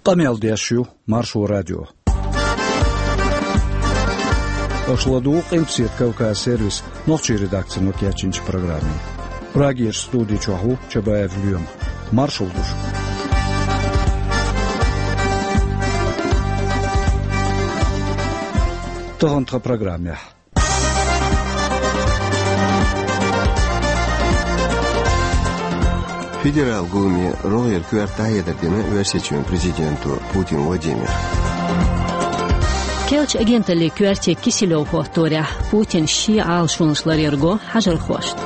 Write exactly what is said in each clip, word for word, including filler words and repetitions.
Къамел деш ю Маршо радио. Аша ладугӀу Къилбаседа Кавказ сервисан нохчийн редакцино кечйинчу программе. Прагерчу студи чохь ву Чабаев Лоьма. Маршалла ду шуьга. Тахана тхан программехь. Федералан гуламе рогӀера коьрта дӀахьедар дина Оьрсийчоьнан президенто Путин Владимира. Керлачу агенталлин коьрте Киселёв хӀотторехь Путина шен Ӏалашонаш ларъярг хьажархошна.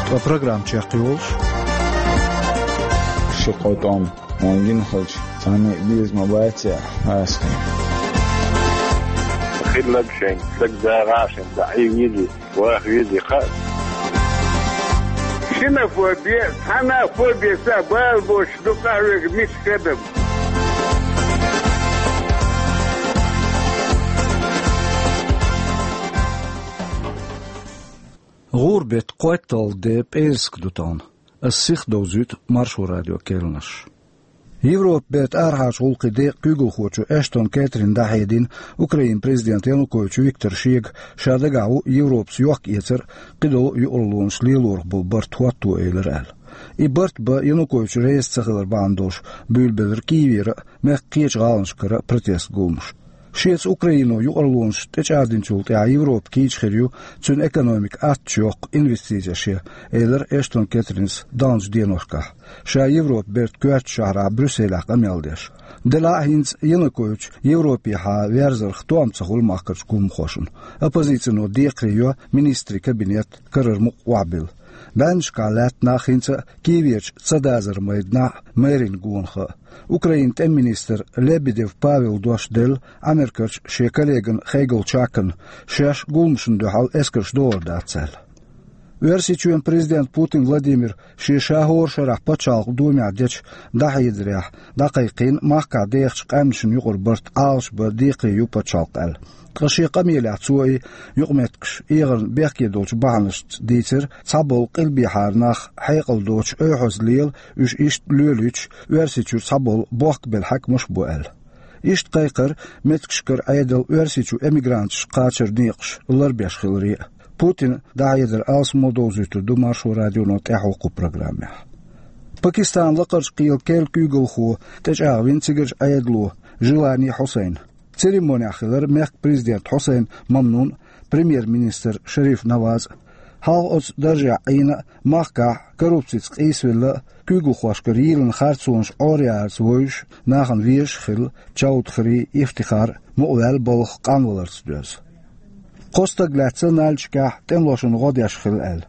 Ткъа программа чекхйолуш: ши-кхо тӀом хьуна гина хилча, цхьанна а беза ма бац аьлла, хьаста. Хилларг шайн, дагадогӀу шайн, дӀа Ӏийна везий, ваха везий хаьа. Ксенофоби, цхьана а фоби ца бала боцуш ду къахьоьгу миска адам. ГӀуран беттан кхойтталгӀа де пӀераска ду тахана. Ас сиха довзуьйту Маршо радион кхаьънаш. Европан беттан арахьарчу гӀуллакхийн декъан куьйгалхочо Эштон Кэтрина дӀахьедина Украинан президента Янукович Виктора шега, ша дагахь ву Европас йохк-эцар а, кхидолу а юкъараллонаш лелорах болу барт хӀотто элира аьлла. И барт бан Янукович реза ца хилар бахьана долуш буьйлабелира Киевера а, мехкан кхечу гӀаланашкара а протестан гуламаш. Шеца Украино юкъараллонаш тӀечӀагӀдинчул тӀаьхьа Европа кийча хир ю, цуьнан экономика аттачу йоккху инвестицеш ян, элира Эштон Кэтринас далначу деношкахь, ша Европан беттан коьртачу шахьарахь Брюсселехь къамел деш. Делахь а хӀинца Янукович Европехьа верзарх тоам ца хуьлу махкарчу гуламхошна. Оппозицино декхаре йо министрийн кабинет карара мукъа охьабилла. БӀеннашкахь лаьтта нах хӀинца а Киеверчу Цадазар майданахь а, мэрин гонах а. Украинан тӀеман министра Лебедев Павела дош делла Америкерчу шен коллегана Хейгал Чакана, шаьш гуламашна дуьхьал эскарш дохур дац аьлла. Оьрсийчоьнан президента Путин Владимира шен ша хӀора шарахь пачхьалкхан домехь дечу дӀахьедарехь дӀакхайкхийна махкахь дехачу къаьмнашна юкъара барт Ӏалашбан декхаре ю пачхьалкх аьлла. Ткъа шен къамелехь цо и юкъаметтигаш эгӀарна бехке долчу бахьанашца дийцира, цхьаболу къилбехьара нах хьекъал доцуш ойхьаза лела, уьш иштта лоьлуьйтуш Оьрсийчуьра цхьаболу бохкабелла хьаькамаш а бу аьлла. Иштта кхайкхира меттигашкара Ӏедал Оьрсийчу эмигранташ кхачаран некъаш ларбеш хиларе а. Путинан дӀахьедар алсамо довзуьйтур ду Маршо радионо тӀаьхьо кху программехь. Пакистанан лакхарчу кхелан керла куьйгалхо тӀечӀагӀвина цигарчу Ӏедало Жилани Хьусайн. Церемонехь хилира мехкан президент Хьусайн Мамнун а, премьер-министр Шариф Наваз а. Хьалха оцу даржехь Ӏийна а, махкахь коррупцица къийсавелла а, куьйгалхошкара йийлина харцонаш Ӏоръярца вевзаш, нахана везаш а хилла, Чаудхри Ифтихар мукъаваьлла балха къанваларца доьзна. Кхо стаг лаьцна Нальчикехь тӀемалошна гӀо деш хилла аьлла.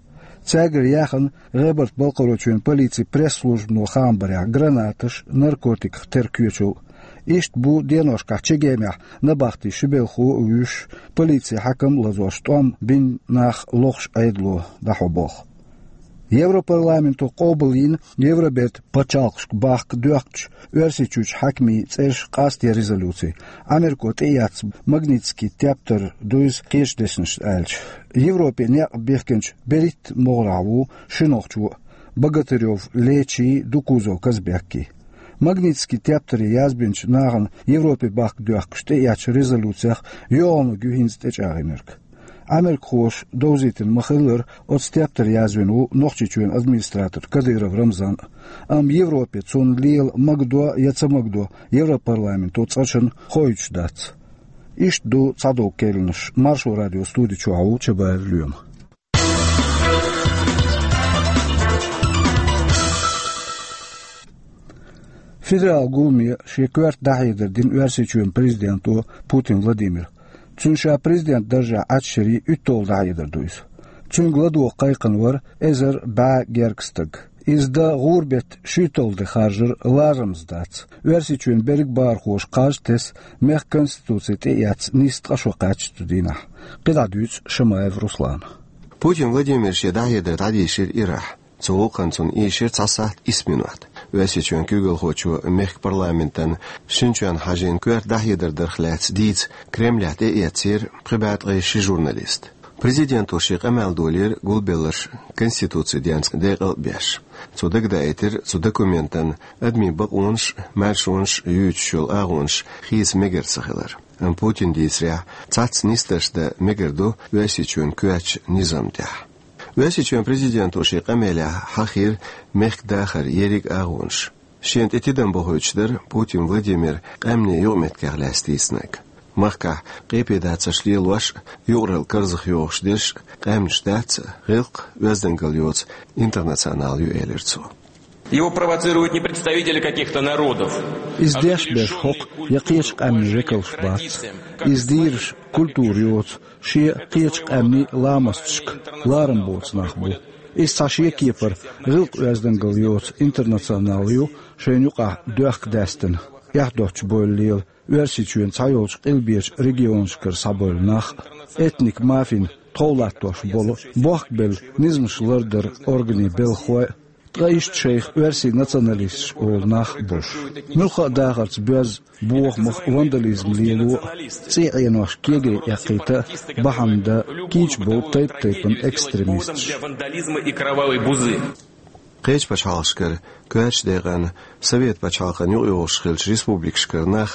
Цаьргара яьхна ГӀебарта-Балкхаройчоьнан полицин пресс-службано хаам барехь гранаташ, наркотиках тера коьчал. Иштта бу деношкахь Чегемехь набахти ши белхо а вуьйш, полицин хьаькам а лазош, тӀом бина нах лохуш Ӏедало дӀахьо болх. Европарламенто къобалйина Евроберта пачхьалкхашка бахка доьхкучу Оьрсийчуьрчу хьаькамийн цӀераш къастаде резолюци, Америко тӀеэцна магнитский тептар дуйзу кхечу дешнашца аьлча. Европе некъ бихкинчу берхӀитта могӀарехь ву ши нохчо а, Богатырёв Лечий, Дукузов Казбекий. Магнитский тептаре язбинчу нахана Европе бахка доьхкуш тӀеэцначу резолюцех йогӀунарг ю хӀинца тӀечӀагӀйинарг. Америкахоша довзийтина ма-хиллара, оцу тептаре язвина ву Нохчийчоьнан администратор Кадыров Рамзан а. Амма Европе цунна лела магадо я ца магадо Европарламенто цкъачунна хоуьйтуш дац. Иштта ду цхьадолу кхаьънаш. Маршо радион студи чохь ву Чабаев Лоьма. Федералан гуламе шен коьрта дӀахьедар дина Оьрсийчоьнан президенто Путин Владимира. Цуьнан ша президент даржехь Ӏачшарий уьтталгӀа дӀахьедар ду иза. Цуьнга ладогӀа кхайкхина вара эзар бӀе гергга стаг. Иза дан гӀуран беттан шуьйтталгӀа де харжар ларамаза дац. Оьрсийчоьнан берриг а бахархоша кхаж а тесна, мехкан конституци тӀеэцна нийсса ткъа шо кхаьчна цу дийнахь. КхидӀа дуьйцу Шамаев Руслана. Путин Владимира шен дӀахьедар дӀадийшира ирахь. Цу гӀуллакхна цунна ийшира цхьа сахьт исс минот. Оьрсийчоьнан куьйгалхочо мехкан парламентан шина чоьнна хьажийна коьрта дӀахьедар дарх лаьцна дийца Кремлехь тӀеэцнера пхи бӀе ткъе ши журналист. Президенто шен къамел долийра гулбелларш Конституцин денца декъал а беш. Цо дагадаийтира цу документан адамийн бакъонаш а, маьршонаш а юьйцуш йолу агӀонаш хийца мегар ца хилар. Амма Путина дийцарехь, цхьацца нисдарш дан мегар ду Оьрсийчоьнан коьртачу низам тӀехь. Оьрсийчоьнан президенто шен къамелехь хьахийра мехкан дахаран ерриг а агӀонаш. Шена тӀе тидам бохуьйтуш дара Путин Владимир къаьмнийн юкъаметтигех лаьцна дийцинарг. Махкахь къепедацарш лелош а, юкъаралла карзах йохуш дерш а къаьмнаш дац, гӀиллакх а, оьздангалла йоцу интернационал ю, элира цо. Его провоцируют не представители каких-то народов. Иза деш берш хӀокху я кхечу къаьмнийн векалш бац. Иза дийраш культура йоцу, шен кхечу къаьмнийн ламасташка ларам боцу нах бу. Иза цхьа шен кепара гӀиллакх, оьздангалла йоцу интернационал ю, шайна юкъахь доьхка даьстина, эхь доцчу бевлла лела Оьрсийчоьнан цхьайолчу къилбечу регионашкара схьабевлла нах а. Этник мафин тхов латтош болу, бохкабелла низамаш лардаран органийн белхалой а, ткъа иштта шайх оьрсийн националисташ олу нах а болуш. Муьлхха а дахарца боьзна бохамах, вандализм лело а, цӀий Ӏенош кегий эккхийта а бахьана дан кийча болу тайп-тайпана экстремисташ. Кхечу пачхьалкхашкара, коьртачу декъана Совет пачхьалкхан юкъайогӀуш хиллачу республикашкара нах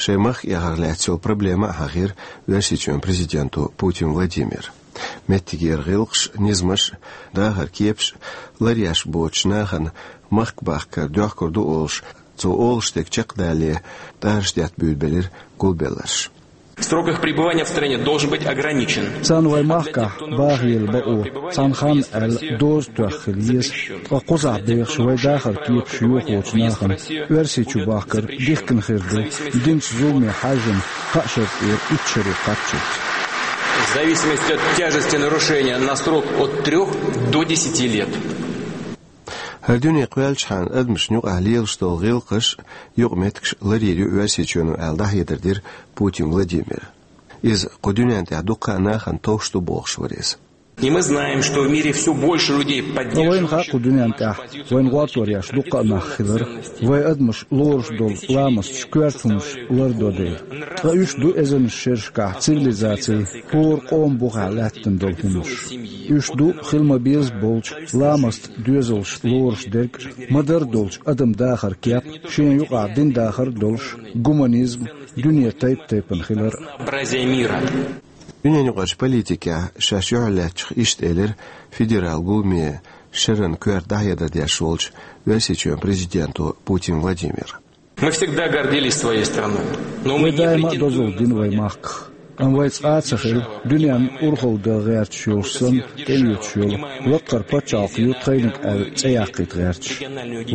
шайн махка эхарх лаьцна йолу проблема а хьахийра Оьрсийчоьнан президенто Путин Владимира. Меттигера гӀиллакхаш а, низамаш а, дахаран кепаш а ларъеш боцучу нахана махка бахкар доьхкур ду олуш, цо олуш дерг чекхдалале, тӀараш детта буьйлабелира гулбелларш. Срок их пребывания в стране должен быть ограничен. Царна вайн махкахь бахъяла бакъо цхьана ханна аьлла доза тоьхна хила еза, ткъа кхузахь бехаш вайн дахаран кепаш йохочу нахана Оьрсийчу бахкар дихкина хир ду, динчу зуламе хьаьжжина кхаа шарахь итт шаре кхаччалц. В зависимости от тяжести нарушения на срок от трёх до десяти лет. ХӀара дуьне кхоьллачхьана адамашна юкъахь лелаш долу гӀиллакхаш а, юкъаметтигаш а ларйийр ю Оьрсийчоьно аьлла, дӀахьедар дира Путин Владимира. Иза кху дуьнен тӀехь дуккха а нахана товш ду бохуш вара иза. И мы знаем, что в мире всё больше людей поддерживающих... Ткъа вайна хаьа кху дуьнен тӀехь вайна гӀортор еш дуккха а нах хилар, вайн адамаш лоруш долу ламасташ, коьрта хӀуманаш лардо дела. Ткъа уьш ду эзарнаш шерашкахь цивилизацин хӀора къоман бухахь лаьттина долу хӀуманаш. Уьш ду хила ма-безза болчу ламастан доьзалш лоруш дерг а, ма-дарра долчу адаман дахаран кеп а, шена юкъахь динан дахар а долуш, гуманизм, дуьне тайп-тайпана хилар а. Разнообразие мира. Дуьненаюкъарчу политикехь шаьш юьхьарлаьцначух иштта элира федералан гуламе шеран коьрта дӀахьедар деш волчу Оьрсийчоьнан президенто Путин Владимира. Мы всегда гордились своей страной, но мы... Вай не даима а претендуем дозалла дина вайн махках. Амма вай цкъа а ца хилла дуьненна урхалла дан гӀерташ йолуш санна, тӀеоьцуш йолу лаккхара пачхьалкх ю тхайниг аьлла цӀе яккхийта гӀерташ.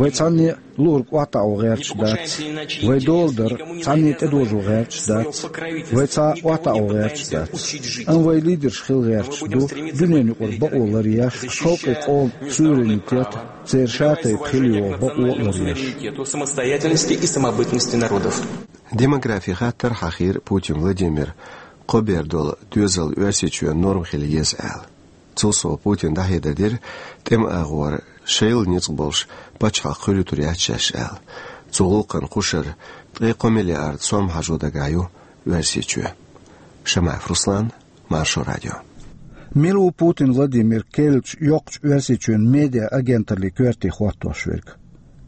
Вай цхьанне а луург охьатаӀо гӀерташ дац. Вай дола дар цхьанне а тӀедожо гӀерташ дац. Вай цхьа а охьатаӀо гӀерташ дац. Амма вай лидерш хила гӀерташ ду дуьненаюкъара бакъо ларъеш, халкъе, къоман суверенитет, церан шатайпа хила йогӀу бакъо а ларъеш. Самостоятельности и самобытности народов. Демографин хаттар хьахийра Путин Владимира, кхо бер долу доьзал Оьрсийчоьнан норма хила еза аьлла. Цул сов Путина дӀахьедар дира тӀеман агӀор шайла ницкъ болуш пачхьалкх хуьлуьйтур яц шаьш аьлла. Цу гӀуллакхана кхушара ткъе кхо миллиард сом хьажо дагахь ю Оьрсийчоь. Шамаев Руслан, Маршо радио. Мила ву Путин Владимир керлачу йоккхачу Оьрсийчоьнан медиа-агенталлин коьрте хӀоттош верг?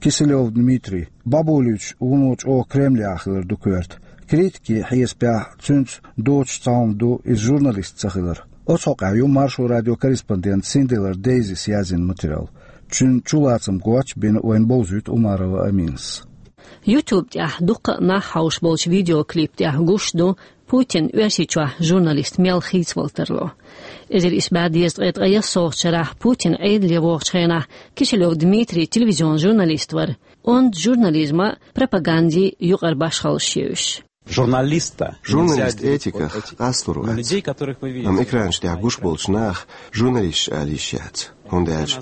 Киселёв Дмитрий. БӀабуличу вуно чӀогӀа Кремлехь хилар ду коьрта. Критикийн хьесапехь цуьнца доцуш цхьа хӀума ду иза журналист ца хилар. Оцу хьокъехь ю Маршо радион корреспондент Синделар Дейзис язйина материал. Цуьнан чулацам гоч а бина вайна бовзуьйту Умарова Аминас. YouTube тӀехь дуккха а нах хьовш болчу видеоклип тӀехь гуш ду Путин Оьрсийчохь журналист мел хийцавала тарло. Эзар исс бӀе дезткъе ткъе ялхитталгӀачу шарахь Путин Ӏедале вогӀучу хенахь Киселёв Дмитрий телевизион журналист вара. Онда журнализман а, пропагандин а юкъара башхаллаш ю уьш. Журналист этиках къастор вац. Амма экранаш тӀехь гуш болчу наха журналисташ ала йиш яц, хӀунда аьлча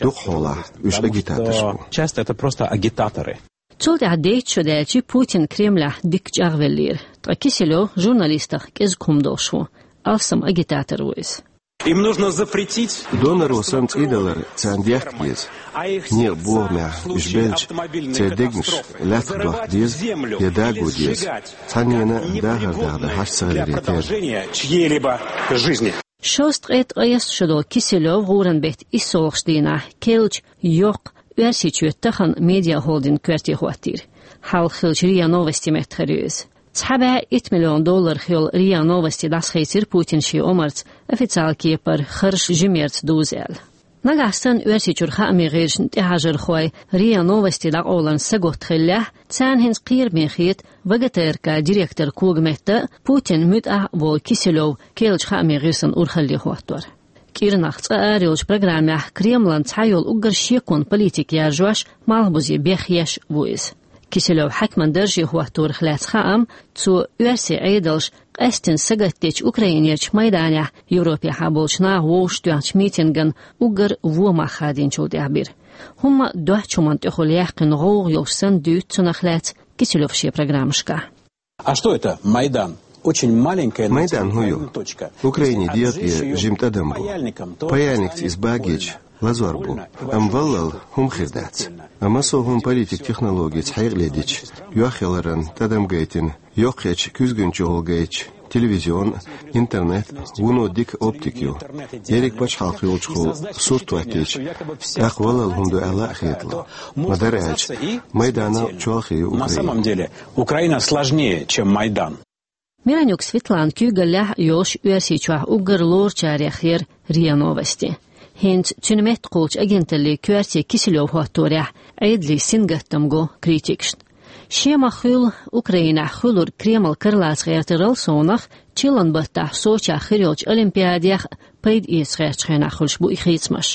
дукхахьолахь уьш агитаторш бу. Часто это просто агитаторы. Цул тӀаьхьа дейтта шо даьлча Путин Кремлехь дикка чӀагӀвеллера, ткъа Киселёв журналистах кӀезиг хӀума долуш ву, алсам агитатор ву иза. Им нужно запретить... Донаро санна цӀий далар царна дехка деза. Некъан бохамехь уьш белча, церан дегнаш лаьттах дохка деза я даго деза, цхьаннена а дахар дахдар хьаш ца хиларе терра. Чьей-либо жизни. Шовзткъе ткъаесна шо долу Киселёв гӀуран беттан иссалгӀачу дийнахь керлачу йоккха Оьрсийчоь тахана медиахолдинг коьрте хӀоттийра. Хьалха хиллачу РИА Новости меттахъара ю иза. Цхьа бӀе итт миллион долларах йолу РИА Новости дӀасахийцира Путина шен омарца, официалан кепара харжа жимерца дуза аьлла. Нагахь санна Оьрсийчуьра хаамийн гӀирсашна тӀехьажархой РИА Новости дӀакъовларна сагатта хиллехь, царна хӀинца кхераме хета ВГТРК директор когаметта а, Путинан муьтӀахь а волу Киселёв керлачу хаамийн гӀирсан урхалле хӀоттор. КӀирнах цкъа арайолчу программехь Кремлан цхьайолу уггар шеконан политика яржош, малхбузе бехъеш ву иза. Киселёв хьаькаман дарже хӀотторах лаьцна хаам цо оьрсийн Ӏедалша къаьсттина сагатдечу Украинерчу Майданехь Европехьа болчу наха вовшахтоьхначу митинган уггар вон мах хадийначул тӀаьхьа бира. ХӀумма доцчу хӀуманна тӀехула яьккхина гӀовгӀа йолуш санна дуьйцу цунах лаьцна Киселёва шен программашкахь. А что это Майдан? Очень маленькая Майдан хӀун ю? Украине дегӀ тӀе жима тӀадам бу. Паяльникца иза багийча, лазор бу. Амма валлал хӀума хир дац. Амма со хӀума политик технологица хьекъале дича, йохъяларан тӀадам гайтина, йоккхачу куьзган чухула гайтча, телевизион, интернет, вуно дика оптика ю. Ерриг пачхьалкх йолчухула сурт хӀоттийча, тӀаккха валлал хӀума ду аьлла а хетало. Ма-дарра аьлча, Майданал чолхе ю Украина. На самом деле, Украина сложнее, чем Майдан. Миронюк Светланан куьйгаллехь а йолуш Оьрсийчохь уггар лоручарех яра РИА Новости. ХӀинца цуьнан меттахуьлучу агенталлин коьрте Киселёв хӀотторехь Ӏедалан сингаттам го критикашна. Шен ма-хуьллу Украинехь хуьлург Кремлан кара лаца гӀертарал совнах, чиллан баттахь Сочехь хир йолчу Олимпиадех а пайда эца гӀертачу хенахь хуьлуш бу и хийцамаш.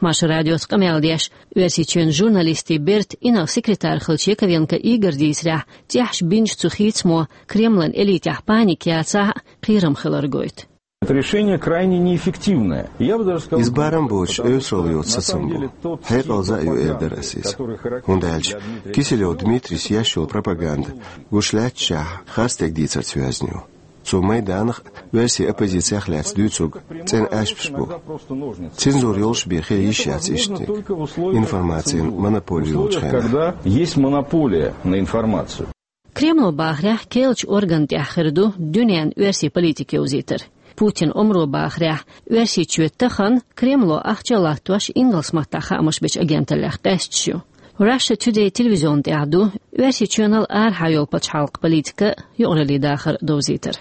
Маршо радиоца къамел деш, Оьрсийчоьнан журналистийн бертан инарла секретарь хиллачу Яковенко Игоран дийцарехь, тӀехьашха бинчу цу хийцамо Кремлан элитехь паника яцахь а, кхерам хилар гойту. Это решение крайне неэффективное. Я бы даже сказал, иза барам боцуш, эвсаралла йоцу сацам бу. Хьекъал за а ю, эр дара ас иза. ХӀунда аьлча Киселёв Дмитрийс еш йолу пропаганда, гуш лаьтташехь, харцдерг дийцарца йоьзна ю. Цо Майданах а, оьрсийн оппозицех а лаьцна дуьйцург цӀена аьшпаш бу. Цензура йолуш бен хила йиш яц иштаниг. Информацин монополия йолчу хенахь. Когда есть монополия на информацию. Кремло бахарехь, керлачу органна тӀехь хир ду дуьненна оьрсийн политика йовзийтар. Путинан омро бахарехь, Оьрсийчоь тахана Кремло ахча а латтош ингалс маттахь хаамаш бечу агенталлех къаьсташ ю. Russia Today телевизион тӀехь ду Оьрсийчоьнал арахьа йолу пачхьалкхан политика, юкъараллин дахар довзийтар.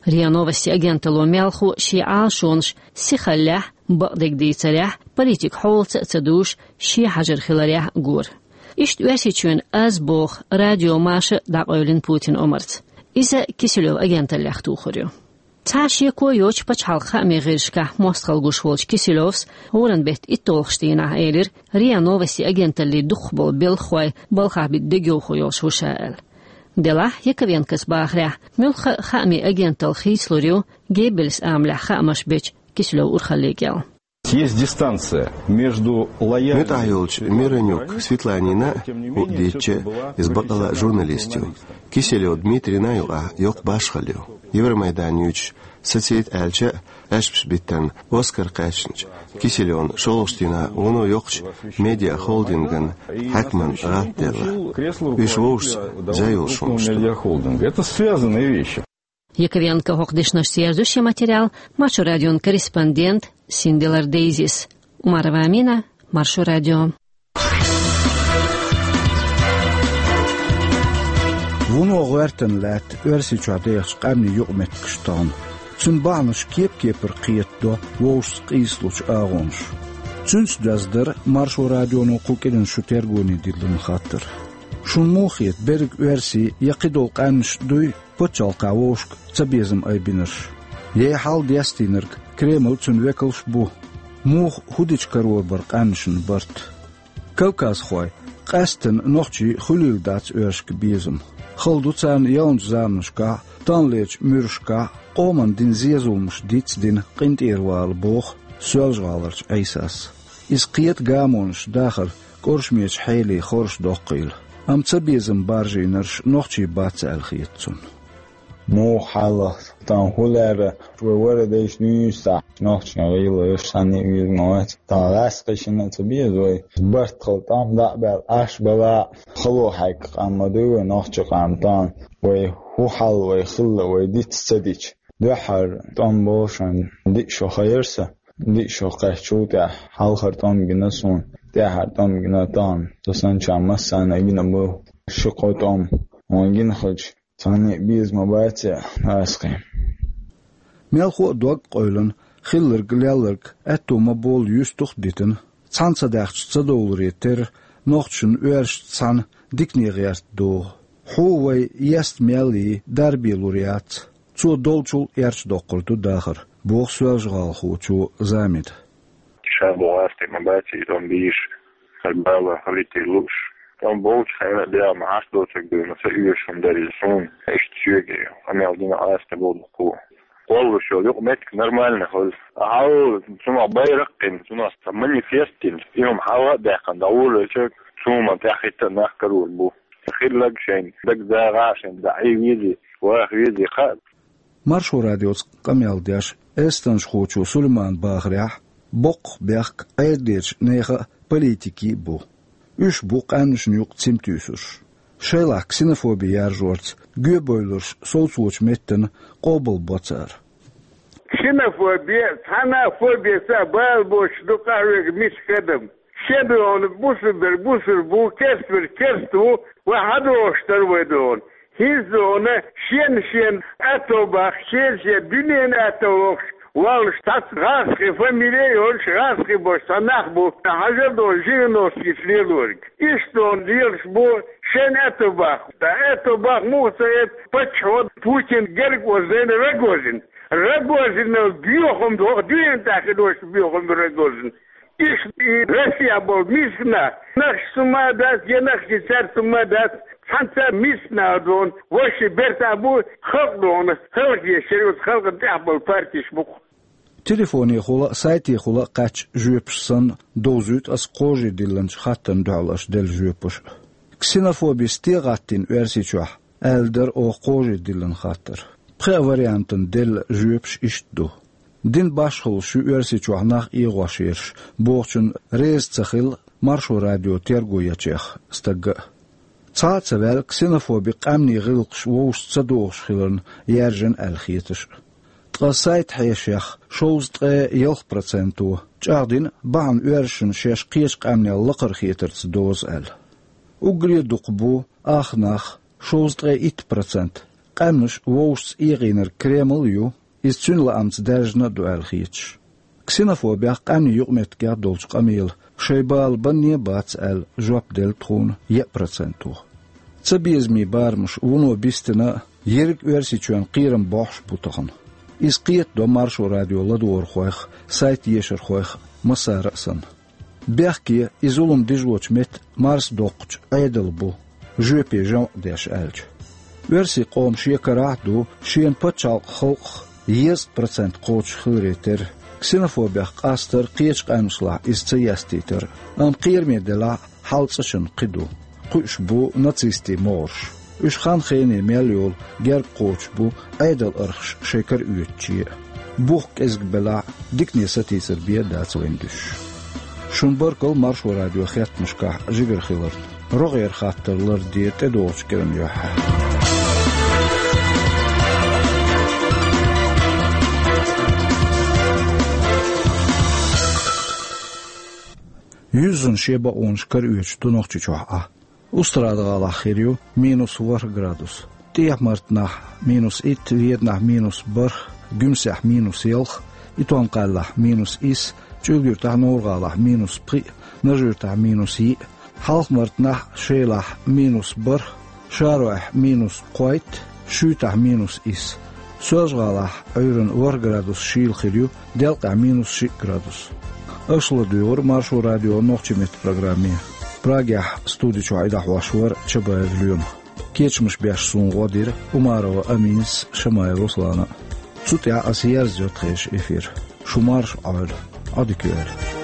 РИА Новости агенталло мелхо шен Ӏалашонаш сихаллехь, бакъдерг дийцарехь, политика хьолаца а ца дуьйш, шен хьажар хиларехь а гора. Иштта Оьрсийчоьнан «Аз» боху радио маша дӀакъевлина Путинан омарца. Иза Киселёв агенталлех тухур ю. Цхьа шеко йоцуш пачхьалкхан хаамийн гӀирсашкахь мостагӀалла гуш волчу Киселёвс гӀуран беттан итталгӀачу дийнахь элира, РИА Новости агенталлин дукхахболу белхахой балхахь битта дегайовхо йолуш ву ша аьлла. Делахь, Яковенкос бахарехь, муьлхха а хаамийн агенталла хийцалур ю Геббельс амалехь хаамаш бечу Киселёвн урхалле кӀел. Есть дистанция между лояльными... МуьтӀахь йолчу Миронюк Светланина а, хӀуъа дийцича, иза бакъалла а журналист ю, Киселёв Дмитрийна а юкъахь йоккха башхалла ю. Евромайдан юьйцуш, сацийта аьлча а, аьшпаш биттарна Оскар кхаьчначу Киселёвна шолгӀачу дийнахь вуно йоккхачу медиахолдинган хьаькаман гӀалт делла. Уьш вовшашца зай йолуш хӀуманаш ду. Медиахолдинг. Это связанные вещи. Яковенко хӀокху дешнашца ерза шен материал Маршо радион корреспондент Синделар Дейзис. Умарова Амина, Маршо радио. Вуно гӀоьртина лаьтта Оьрсийчохь дехачу къаьмнийн юкъаметтигаш тахана. Цуьнан бахьанаш кеп-кепара кхетадо вовшашца къийсалучу агӀонаш. Цуьнца доьзна дара Маршо радионо кху кӀиран шу тергоне диллина хаттар. Шуна муха хета, берриг оьрсий я кхидолу къаьмнаш дуй пачхьалкхехь вовшашка цабезам айбинарш? Я и хьал дестийнарг Кремль, цуьнан векалш а бу? Муха, хӀун дича карор бара къаьмнашна барт? Кавказхой, къаьсттина нохчий, хуьлийла дац оьрсашка безам. Хала ду царна ялначу заманашкахь а, таханлерчу муьрашкахь а къоманна дина зен-зуламаш дицдина къинтӀера вала, боху Соьлжа-ГӀаларчу Ӏийсас. Иза кхета гамонаш, дахар кӀоршамечу хьеле хоржадоккхийла. Амма цабезам баржийнарш нохчий бац аьлла хета цунна. Муха хьалха, тахана хӀун лерра, вай вара дайша дуьйцахь, нохчийн гӀийла йолуш санна а веза ма вац. Тахана гӀаскхий шина а ца беза вай. Барт хала тӀом дӀа а баьлла, Ӏаш бала а, хало хьегна къам ма дуй вай, нохчийн къам тахана. Вай хӀун хьал, вай хилла, вай диц ца дича. Дуьххьара тӀом бу шуна, диъ шо хайра сан, диъ шо кхаьччул тӀаьхьа хьалхара тӀом гина суна, тӀаьххьара тӀом гина тахана. Со санначарна массарна а гина бу, ши-кхо тӀом. Хьуна гина хилча, цхьанне а беза ма бац, гӀазкхий. Мелхо а дог къевлина, хилларг-лелларг аьтту ма болла юьстух а дитина, цхьана ца даьхча ца довларе терра, нохчашна оьрсашца цхьана дикане гӀерта догӀу. Хьо вай еста мел йий, дарбе лур яц. Цо долчул эрча доккхур ду дахар, боху соьлжа-гӀалахочо Замида. Ша боху, гӀазкхий ма бац и тӀом бийш, хӀара бала хилийта лууш. ТӀом болчу хенахь а дегӀ ма хьаш доцург дуьйна, ца оьшуш хӀума дара иза суна. Иштта соьга къамел дина Ӏаса тӀе боху дуккха. Кхоллуш йолу юкъаметтиг нормально хуьлу. Ахьа, цунах байракх а кхина, цунах цхьа манифест а дина, и хӀума хьала а даьккхина, дӀаволавелча, цу хӀуманна тӀаьхьахӀитта а нах карор бу. Хилларг шайна дагадогӀахь, шайна дӀа Ӏе везий, ваха везий хаьа. Маршо радиоца къамел деш эстонхочо Сулеймана бахарехь, боккха бехк Ӏедалерчу нехан а, политикийн а бу. Уьш бу къаьмнашна юкъа цим туьйсурш. Шайлахь ксенофоби яржорца, гоьбевлларш совцочу меттана къобалбо цара. Ксенофоби, цхьана а фобица а бала боцуш ду къахьоьгу миска адам. Шен догӀана бусурбер бусурба ву, керстбер керста ву, вай хьадогӀуш дара вай догӀана. ХӀинца догӀана шен-шен аьтто баккха, шен-шен дуьненан аьтто лохуш воллуш цхьацца гӀазкхийн фамили а йолуш, гӀазкхий болуш цхьа нах бу, хьажар догӀана Жириновскийца лелориг. Иштта догӀана лелаш бу шен аьтто баккха. Ткъа аьтто баккха муха ца эцна паччахьо Путин герга озийна Рогозин. Рогозинал боьхам боху, дуьнен тӀехь хир долуш боьхам бу Рогозин. Иштта и Россехь болу миска нах, нахчаца хӀума а дац, я нахчий цаьрца хӀума а дац, цхьацца миска нах догӀана, вайшиъ бертахь бу, халкъ догӀана, хӀаллакдеш шариатца халкъана тӀехь болу партеш бу-кх. Телефонехула а, сайтехула а кхаьчча жоьпаш санна, довзуьйту аса кхожий диллинчу хаттарна дуьхьал аша делла жоьпаш. Ксенофобица стен гӀаттийна Оьрсийчохь, аьлла дара оха кхожий диллина хаттар. Пхеа вариантана делла жоьпаш иштта ду. Дин башхаллаш ю Оьрсийчохь нах эгӀош ерш бохучунна реза ца хилла Маршо радио терго ечех стагга а. Цхьа а ца ваьлла ксенофоби къаьмнийн гӀиллакхаш вовшашца ца догӀуш хиларна яьржина аьлла хеташ а. Ткъа сайт хьешех шовзткъе ялх проценто чӀагӀдина бахьана оьрсашна шаьш кхечу къаьмнел лакхара хетарца доза аьлла. Уггаре а дукха бу ах нах, шовзткъе итт процент, къаьмнаш вовшашца эгӀийнарг Кремль а ю, иза цуьнан лаамца даьржина а ду аьлла хеташ. Ксенофобех, къаьмнийн юкъаметтигех долчу къамелан шайн бала банне а бац аьлла жоп делла тхуна еа проценто. Цабезамийн барамаш вуно бистина а, ерриг Оьрсийчоьнан кхерам бохьуш а бу тахана. Иза кхетадо Маршо радион ладогӀархойх а, сайт ешархойх а, массара а санна. Бехке, и зулам бижочу метта марса доккхучу Ӏедал бу, жоьпе жамӀ деш аьлча. Оьрсийн къоман шен карахь а ду шена пачхьалкхан халкъах дезткъа процент кхочуш хиларе терра, ксенофобех къастар кхечу къаьмнашлахь иза ца естийтар, амма кхераме делахь а, хьал цӀа чунна кхин ду. Кхуьуш бу нацистийн могӀарш. Уьш хан-хене мел йолу герга кхочуш бу Ӏедалан архаш шайн кара оьцуче а. Бух кӀезиг белахь а, дикане сатийсар бен а дац вайна дуьсуш. Шун баркалла Маршо радион хеттамашкахь жигара хиларна. РогӀера хаттар ларде тӀедогӀучу кӀиран юьххьехь. Юьззина шен бакъонаш кара оьцуш ду Нохчийчохь Ӏа. Устрада-ГӀалахь хир ю минус ворхӀ градус, ТӀехьа-Мартанахь минус итт, Веданахь минус бархӀ, Гуьмсехь минус ялх, Итон-Кхаьллахь минус исс, ЧӀуьлга-Юьртахь, Новр-ГӀалахь минус пхиъ, Нажи-Юьртахь минус йиъ, Хьалха-Мартанахь, Шелахь минус бархӀ, ШаройӀехь минус кхойтта, Шуьйтахь минус исс. Соьлжа-ГӀалахь Ӏуьйранна ворхӀ градус шийла хир ю, делкъехь минус шиъ градус. Аша ладуьйгӀира Маршо радион нохчийн меттан программе. Прагехь студи чохь и дӀахьош вара Чабаев Лоьма. Кечамаш беш суна гӀо дира Умарова Аминас а, Шамаев Руслана а. Цу тӀехь аса ерзайо тхешан эфир. Шу марша Ӏойла, Ӏодика йойла.